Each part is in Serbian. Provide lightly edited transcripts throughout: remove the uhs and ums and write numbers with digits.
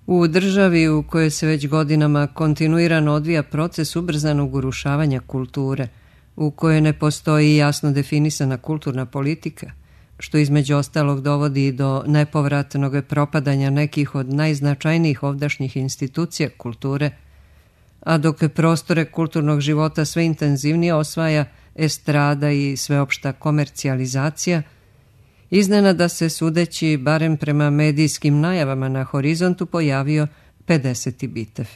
U državi u kojoj se već godinama kontinuirano odvija proces ubrzanog urušavanja kulture, u kojoj ne postoji jasno definisana kulturna politika, što između ostalog dovodi do nepovratnog propadanja nekih od najznačajnijih ovdašnjih institucija kulture, a dok prostore kulturnog života sve intenzivnije osvaja estrada i sveopšta komercijalizacija, iznenada se, sudeći barem prema medijskim najavama na horizontu, pojavio 50. Bitev.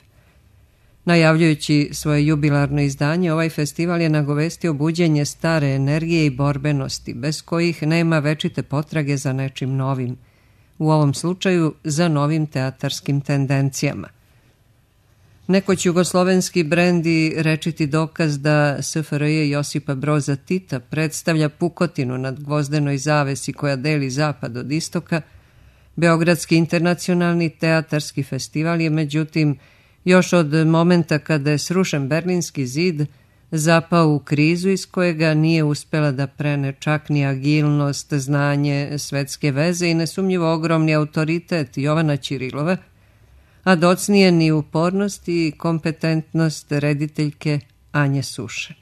Najavljujući svoje jubilarno izdanje, ovaj festival je nagovestio buđenje stare energije i borbenosti, bez kojih nema večite potrage za nečim novim, u ovom slučaju za novim teatarskim tendencijama. Nekoć jugoslovenski brend i rečiti dokaz da SFRJ Josipa Broza Tita predstavlja pukotinu nad gvozdenoj zavesi koja deli zapad od istoka, Beogradski internacionalni teatarski festival je međutim još od momenta kada je srušen Berlinski zid zapao u krizu iz kojega nije uspela da prene čak ni agilnost, znanje, svetske veze i nesumnjivo ogromni autoritet Jovana Ćirilova, a docnije ni upornost i kompetentnost rediteljke Anje Suše.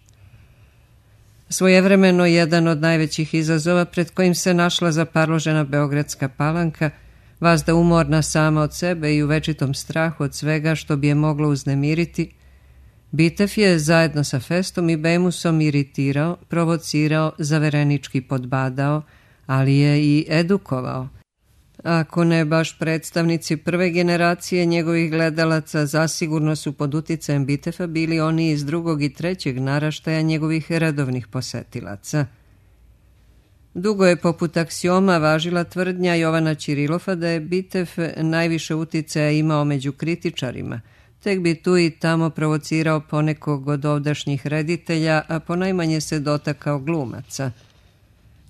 Svojevremeno jedan od najvećih izazova pred kojim se našla zaparložena Beogradska Palanka, vazda umorna sama od sebe i u večitom strahu od svega što bi je moglo uznemiriti, Bitev je zajedno sa Festom i Bemusom iritirao, provocirao, zaverenički podbadao, ali je i edukovao. Ako ne baš predstavnici prve generacije njegovih gledalaca, zasigurno su pod uticajem Bitefa bili oni iz drugog i trećeg naraštaja njegovih redovnih posetilaca. Dugo je poput aksioma važila tvrdnja Jovana Ćirilova da je Bitev najviše uticaja imao među kritičarima, tek bi tu i tamo provocirao ponekog od ovdašnjih reditelja, a ponajmanje se dotakao glumaca.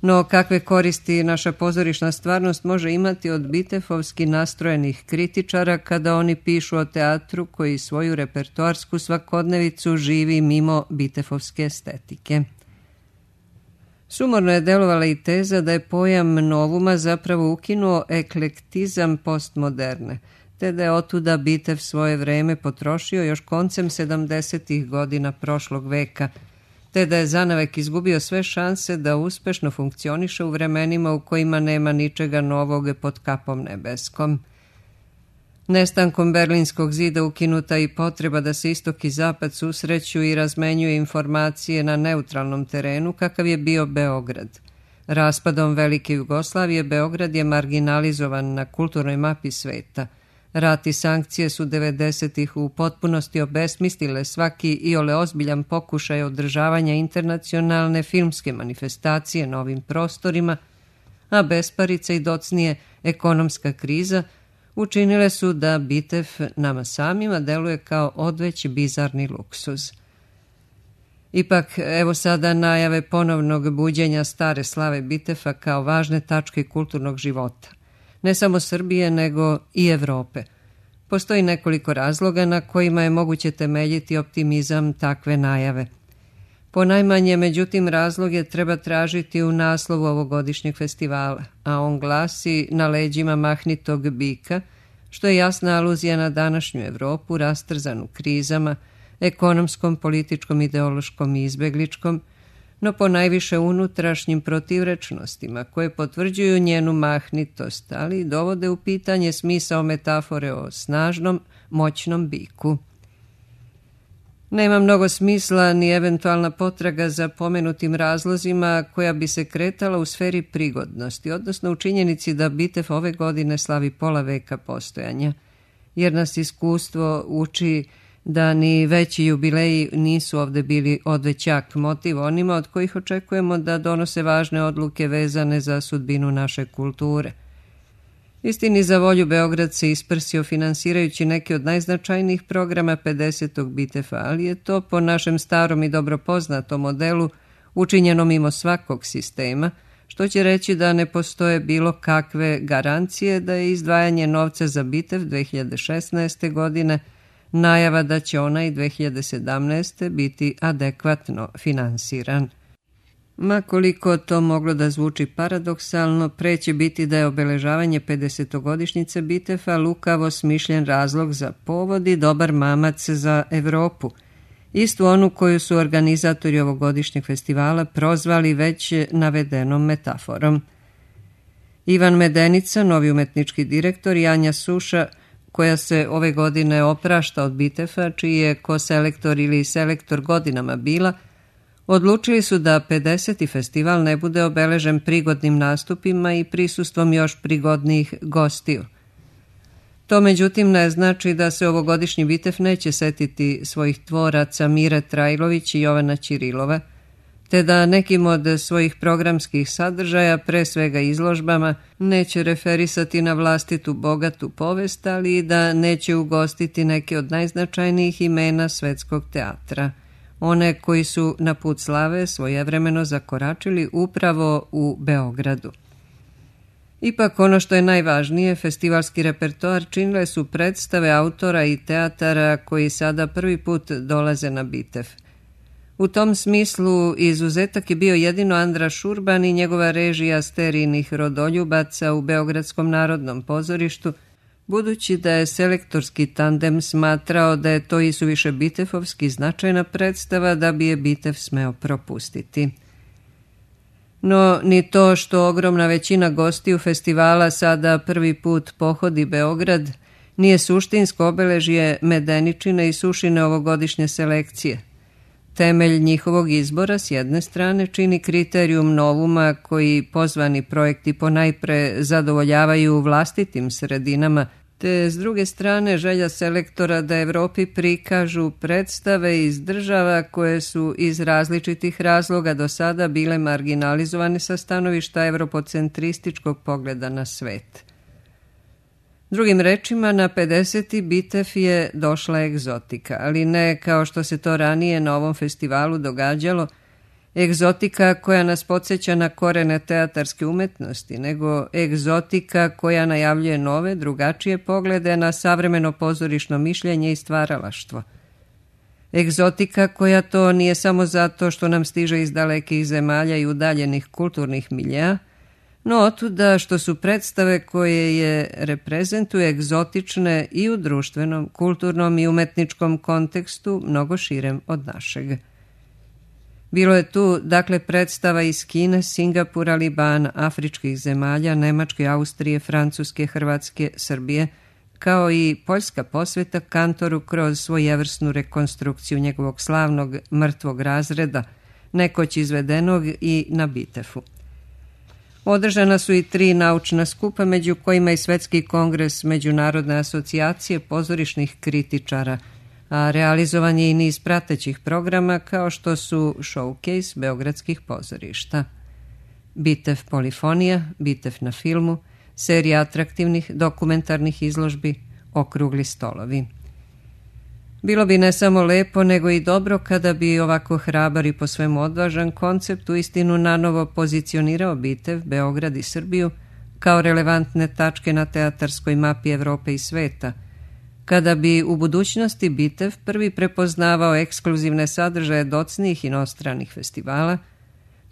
No kakve koristi naša pozorišna stvarnost može imati od bitefovski nastrojenih kritičara kada oni pišu o teatru koji svoju repertoarsku svakodnevicu živi mimo bitefovske estetike? Sumorno je delovala i teza da je pojam novuma zapravo ukinuo eklektizam postmoderne, te da je otuda Bitev svoje vreme potrošio još koncem 70. godina prošlog veka, te da je zanavek izgubio sve šanse da uspešno funkcioniše u vremenima u kojima nema ničega novog pod kapom nebeskom. Nestankom Berlinskog zida ukinuta i potreba da se istok i zapad susreću i razmenjuju informacije na neutralnom terenu kakav je bio Beograd. Raspadom Velike Jugoslavije Beograd je marginalizovan na kulturnoj mapi sveta. Rat i sankcije su 90-ih u potpunosti obesmislile svaki iole ozbiljan pokušaj održavanja internacionalne filmske manifestacije na ovim prostorima, a besparica i docnije ekonomska kriza učinile su da Bitev nama samima deluje kao odveć bizarni luksuz. Ipak, evo sada najave ponovnog buđenja stare slave Bitefa kao važne tačke kulturnog života. Ne samo Srbije, nego i Evrope. Postoji nekoliko razloga na kojima je moguće temeljiti optimizam takve najave. Ponajmanje, međutim, razloge treba tražiti u naslovu ovogodišnjeg festivala, a on glasi Na leđima mahnitog bika, što je jasna aluzija na današnju Evropu rastrzanu krizama, ekonomskom, političkom, ideološkom i izbegličkom, no ponajviše unutrašnjim protivrečnostima koje potvrđuju njenu mahnitost, ali dovode u pitanje smisao metafore o snažnom, moćnom biku. Nema mnogo smisla ni eventualna potraga za pomenutim razlozima koja bi se kretala u sferi prigodnosti, odnosno u činjenici da Bitev ove godine slavi pola veka postojanja, jer nas iskustvo uči da ni veći jubileji nisu ovde bili odvećak motiv onima od kojih očekujemo da donose važne odluke vezane za sudbinu naše kulture. Istini za volju, Beograd se isprsio finansirajući neki od najznačajnijih programa 50. Bitefa, ali je to po našem starom i dobro poznatom modelu učinjeno mimo svakog sistema, što će reći da ne postoje bilo kakve garancije da je izdvajanje novca za Bitev 2016. godine najava da će ona i 2017. biti adekvatno finansiran. Ma koliko to moglo da zvuči paradoksalno, pre će biti da je obeležavanje 50-godišnjice Bitefa lukavo smišljen razlog za povod i dobar mamac za Evropu, istu onu koju su organizatori ovogodišnjeg festivala prozvali već navedenom metaforom. Ivan Medenica, novi umetnički direktor, i Anja Suša, koja se ove godine oprašta od Bitefa, čiji je koselektor ili selektor godinama bila, odlučili su da 50. festival ne bude obeležen prigodnim nastupima i prisustvom još prigodnijih gostiju. To međutim ne znači da se ovogodišnji Bitef neće setiti svojih tvoraca Mire Trajlović i Jovana Ćirilova, te da nekim od svojih programskih sadržaja, pre svega izložbama, neće referisati na vlastitu bogatu povest, ali i da neće ugostiti neke od najznačajnijih imena svetskog teatra, one koji su na put slave svojevremeno zakoračili upravo u Beogradu. Ipak ono što je najvažnije, festivalski repertoar činile su predstave autora i teatara koji sada prvi put dolaze na Bitef. U tom smislu izuzetak je bio jedino Andraš Urban i njegova režija Sterijnih rodoljubaca u Beogradskom narodnom pozorištu, budući da je selektorski tandem smatrao da je to isuviše bitefovski značajna predstava da bi je Bitef smeo propustiti. No, ni to što ogromna većina gostiju festivala sada prvi put pohodi Beograd nije suštinsko obeležje Medeničine i Sušine ovogodišnje selekcije. Temelj njihovog izbora s jedne strane čini kriterijum novuma koji pozvani projekti ponajpre zadovoljavaju vlastitim sredinama, te s druge strane želja selektora da Evropi prikažu predstave iz država koje su iz različitih razloga do sada bile marginalizovane sa stanovišta evropocentrističkog pogleda na svet. Drugim rečima, na 50. Bitef je došla egzotika, ali ne kao što se to ranije na ovom festivalu događalo, egzotika koja nas podsjeća na korene teatarske umetnosti, nego egzotika koja najavljuje nove, drugačije poglede na savremeno pozorišno mišljenje i stvaralaštvo. Egzotika koja to nije samo zato što nam stiže iz dalekih zemalja i udaljenih kulturnih miljea, no otuda što su predstave koje je reprezentuje egzotične i u društvenom, kulturnom i umetničkom kontekstu mnogo širem od našeg. Bilo je tu, dakle, predstava iz Kine, Singapura, Libana, afričkih zemalja, Nemačke, Austrije, Francuske, Hrvatske, Srbije, kao i poljska posveta kantoru kroz svojevrsnu rekonstrukciju njegovog slavnog mrtvog razreda, nekoć izvedenog i na Bitefu. Održana su i 3 naučna skupa, među kojima i Svetski kongres Međunarodne asocijacije pozorišnih kritičara, a realizovan je i niz pratećih programa kao što su Showcase beogradskih pozorišta, Bitef Polifonija, Bitef na filmu, serija atraktivnih dokumentarnih izložbi, okrugli stolovi. Bilo bi ne samo lepo, nego i dobro kada bi ovako hrabar i po svemu odvažan koncept uistinu nanovo pozicionirao Bitef, Beograd i Srbiju kao relevantne tačke na teatarskoj mapi Evrope i sveta, kada bi u budućnosti Bitef prvi prepoznavao ekskluzivne sadržaje docnijih inostranih festivala,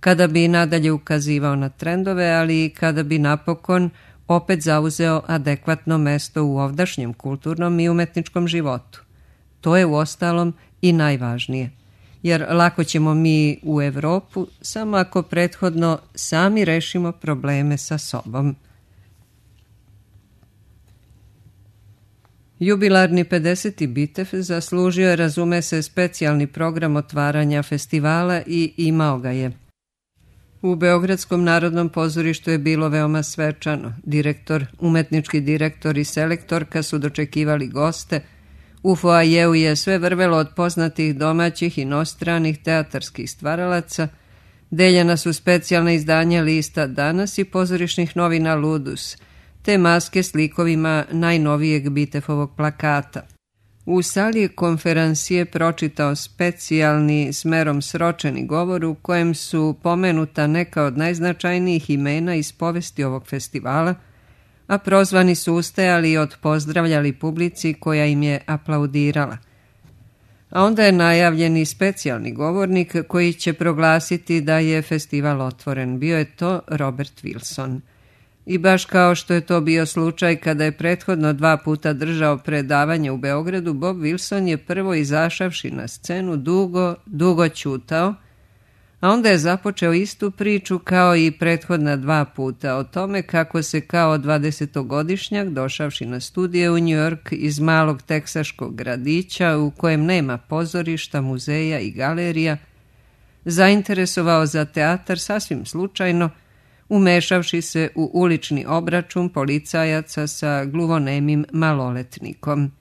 kada bi nadalje ukazivao na trendove, ali i kada bi napokon opet zauzeo adekvatno mesto u ovdašnjem kulturnom i umetničkom životu. To je uostalom i najvažnije, jer lako ćemo mi u Evropu samo ako prethodno sami rešimo probleme sa sobom. Jubilarni 50. Bitef zaslužio je, razume se, specijalni program otvaranja festivala i imao ga je. U Beogradskom narodnom pozorištu je bilo veoma svečano. Direktor, umetnički direktor i selektorka su dočekivali goste. U foajeu je sve vrvelo od poznatih domaćih i inostranih teatarskih stvaralaca. Deljena su specijalna izdanja lista Danas i pozorišnih novina Ludus, te maske s likovima najnovijeg Bitefovog plakata. U sali je konferansije pročitao specijalni smerom sročeni govor u kojem su pomenuta neka od najznačajnijih imena iz povesti ovog festivala, a prozvani su ustajali i odpozdravljali publici koja im je aplaudirala. a onda je najavljen i specijalni govornik koji će proglasiti da je festival otvoren. Bio je to Robert Wilson. I baš kao što je to bio slučaj kada je prethodno 2 puta držao predavanje u Beogradu, Bob Wilson je prvo izašavši na scenu dugo ćutao, a onda je započeo istu priču kao i prethodna 2 puta o tome kako se kao 20-godišnjak došavši na studije u New York iz malog teksaškog gradića u kojem nema pozorišta, muzeja i galerija, zainteresovao za teatar sasvim slučajno, umešavši se u ulični obračun policajaca sa gluvonemim maloletnikom.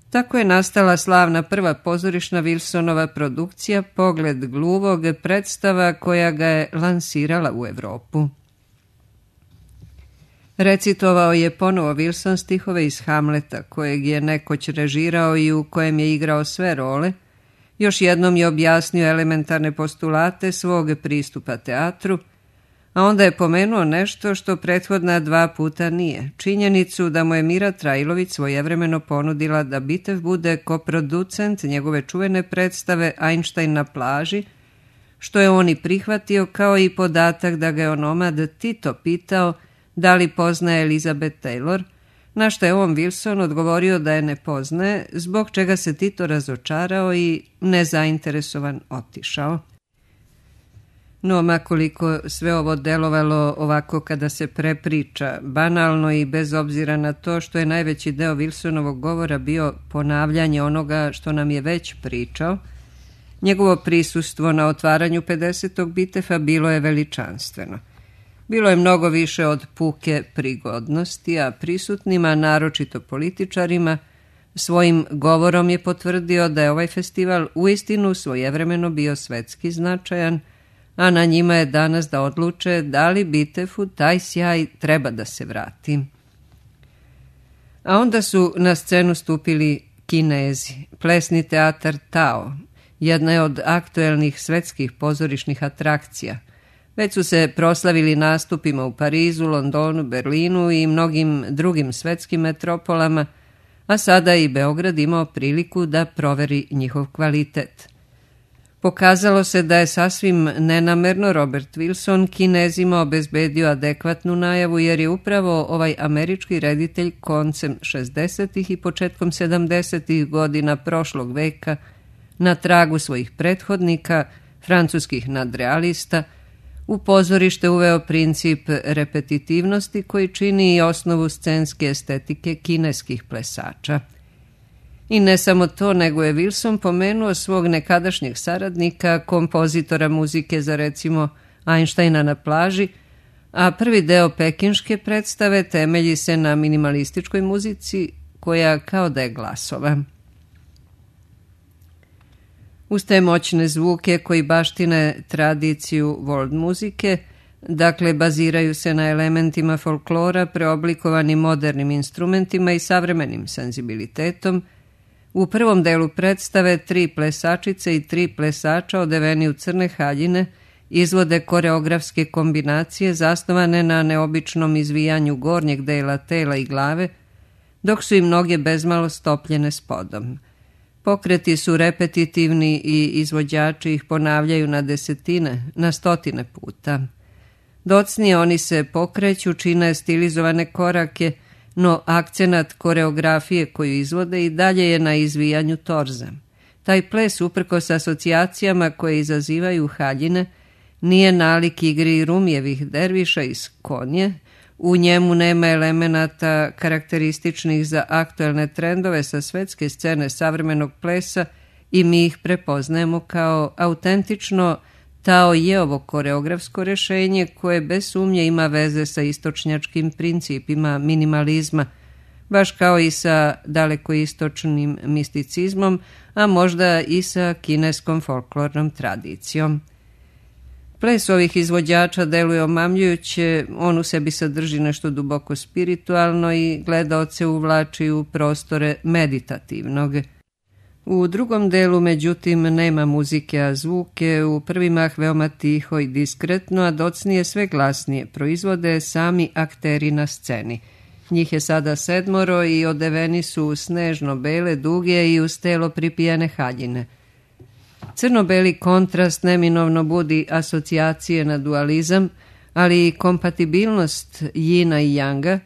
Tako je nastala slavna prva pozorišna Wilsonova produkcija Pogled gluvog, predstava koja ga je lansirala u Evropu. Recitovao je ponovo Wilson stihove iz Hamleta, kojeg je nekoć režirao i u kojem je igrao sve role. Još jednom je objasnio elementarne postulate svog pristupa teatru, a onda je pomenuo nešto što prethodna 2 puta nije. Činjenicu da mu je Mira Trajlović svojevremeno ponudila da Bitev bude koproducent njegove čuvene predstave Einstein na plaži, što je on i prihvatio, kao i podatak da ga je onomad Tito pitao da li poznaje Elizabeth Taylor, na što je on Wilson odgovorio da je ne poznaje, zbog čega se Tito razočarao i nezainteresovan otišao. No, makoliko sve ovo delovalo ovako kada se prepriča, banalno i bez obzira na to što je najveći deo Wilsonovog govora bio ponavljanje onoga što nam je već pričao, njegovo prisustvo na otvaranju 50. Bitefa bilo je veličanstveno. Bilo je mnogo više od puke prigodnosti, a prisutnima, naročito političarima, svojim govorom je potvrdio da je ovaj festival uistinu svojevremeno bio svetski značajan, a na njima je danas da odluče da li Bitefu taj sjaj treba da se vrati. A onda su na scenu stupili Kinezi, plesni teatar Tao, jedna je od aktuelnih svetskih pozorišnih atrakcija. Već su se proslavili nastupima u Parizu, Londonu, Berlinu i mnogim drugim svetskim metropolama, a sada i Beograd imao priliku da proveri njihov kvalitet. Pokazalo se da je sasvim nenamerno Robert Wilson Kinezima obezbedio adekvatnu najavu, jer je upravo ovaj američki reditelj koncem 60. i početkom 70. godina prošlog veka na tragu svojih prethodnika, francuskih nadrealista, u pozorište uveo princip repetitivnosti koji čini i osnovu scenske estetike kineskih plesača. I ne samo to, nego je Wilson pomenuo svog nekadašnjeg saradnika, kompozitora muzike za recimo Einsteina na plaži, a prvi deo pekinške predstave temelji se na minimalističkoj muzici koja kao da je glasova. Uz te moćne zvuke koji baštine tradiciju world muzike, dakle baziraju se na elementima folklora preoblikovani modernim instrumentima i savremenim senzibilitetom, u prvom delu predstave 3 plesačice i 3 plesača odeveni u crne haljine izvode koreografske kombinacije zasnovane na neobičnom izvijanju gornjeg dela tela i glave, dok su i mnoge bezmalo stopljene spodom. Pokreti su repetitivni i izvođači ih ponavljaju na desetine, na stotine puta. Docnije oni se pokreću, čine stilizovane korake, no akcenat koreografije koju izvode i dalje je na izvijanju torza. Taj ples, uprkos asocijacijama koje izazivaju haljine, nije nalik igri Rumijevih derviša iz Konje, u njemu nema elemenata karakterističnih za aktuelne trendove sa svetske scene savremenog plesa i mi ih prepoznajemo kao autentično Tao Jeovo koreografsko rešenje koje bez sumnje ima veze sa istočnjačkim principima minimalizma, baš kao i sa dalekoistočnim misticizmom, a možda i sa kineskom folklornom tradicijom. Ples ovih izvođača deluje omamljujuće, on u sebi sadrži nešto duboko spiritualno i gledaoce uvlači u prostore meditativnog. U drugom delu, međutim, nema muzike, a zvuke u prvi mah veoma tiho i diskretno, a docnije sve glasnije proizvode sami akteri na sceni. Njih je sada 7 i odeveni su u snežno-bele, duge i uz telo pripijene haljine. Crno-beli kontrast neminovno budi asocijacije na dualizam, ali i kompatibilnost jina i janga,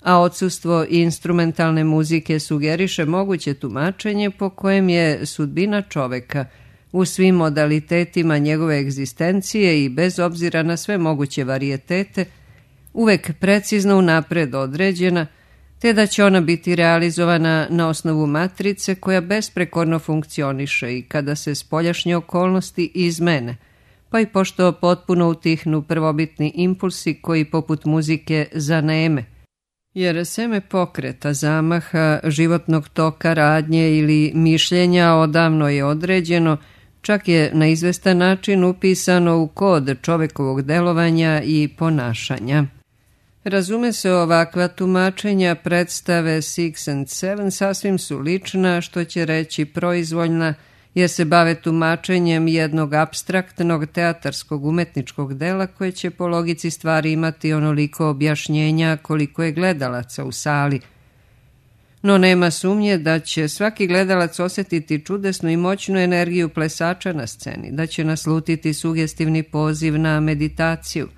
a odsustvo instrumentalne muzike sugeriše moguće tumačenje po kojem je sudbina čoveka u svim modalitetima njegove egzistencije i bez obzira na sve moguće varijetete uvek precizno unapred određena, te da će ona biti realizovana na osnovu matrice koja besprekorno funkcioniše i kada se spoljašnje okolnosti izmene, pa i pošto potpuno utihnu prvobitni impulsi koji poput muzike zaneme, jer seme pokreta, zamaha, životnog toka, radnje ili mišljenja odavno je određeno, čak je na izvestan način upisano u kod čovekovog delovanja i ponašanja. Razume se, ovakva tumačenja predstave Six and Seven sasvim su lična, što će reći proizvoljna, jer se bave tumačenjem jednog apstraktnog teatarskog umetničkog dela koje će po logici stvari imati onoliko objašnjenja koliko je gledalaca u sali. No nema sumnje da će svaki gledalac osjetiti čudesnu i moćnu energiju plesača na sceni, da će naslutiti sugestivni poziv na meditaciju.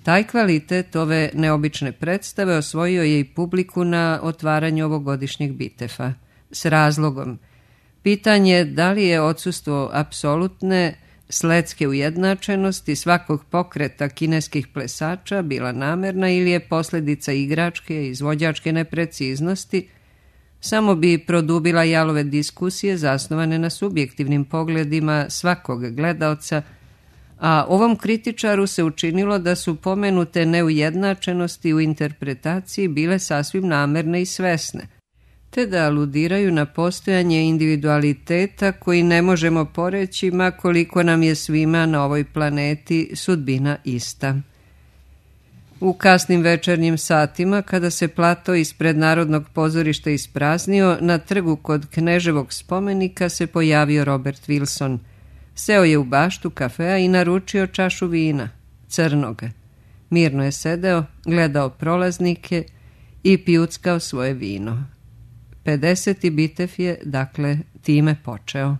Taj kvalitet ove neobične predstave osvojio je i publiku na otvaranju ovogodišnjeg Bitefa. S razlogom. Pitanje da li je odsustvo apsolutne sledske ujednačenosti svakog pokreta kineskih plesača bila namerna ili je posljedica igračke i izvođačke nepreciznosti, samo bi produbila jalove diskusije zasnovane na subjektivnim pogledima svakog gledaoca, a ovom kritičaru se učinilo da su pomenute neujednačenosti u interpretaciji bile sasvim namerne i svesne, te da aludiraju na postojanje individualiteta koji ne možemo poreći ma koliko nam je svima na ovoj planeti sudbina ista. U kasnim večernjim satima, kada se plato ispred Narodnog pozorišta ispraznio, na trgu kod Kneževog spomenika se pojavio Robert Wilson. Seo je u baštu kafea i naručio čašu vina, crnoga. Mirno je sedeo, gledao prolaznike i pijuckao svoje vino. 50. Bitev je, dakle, time počeo.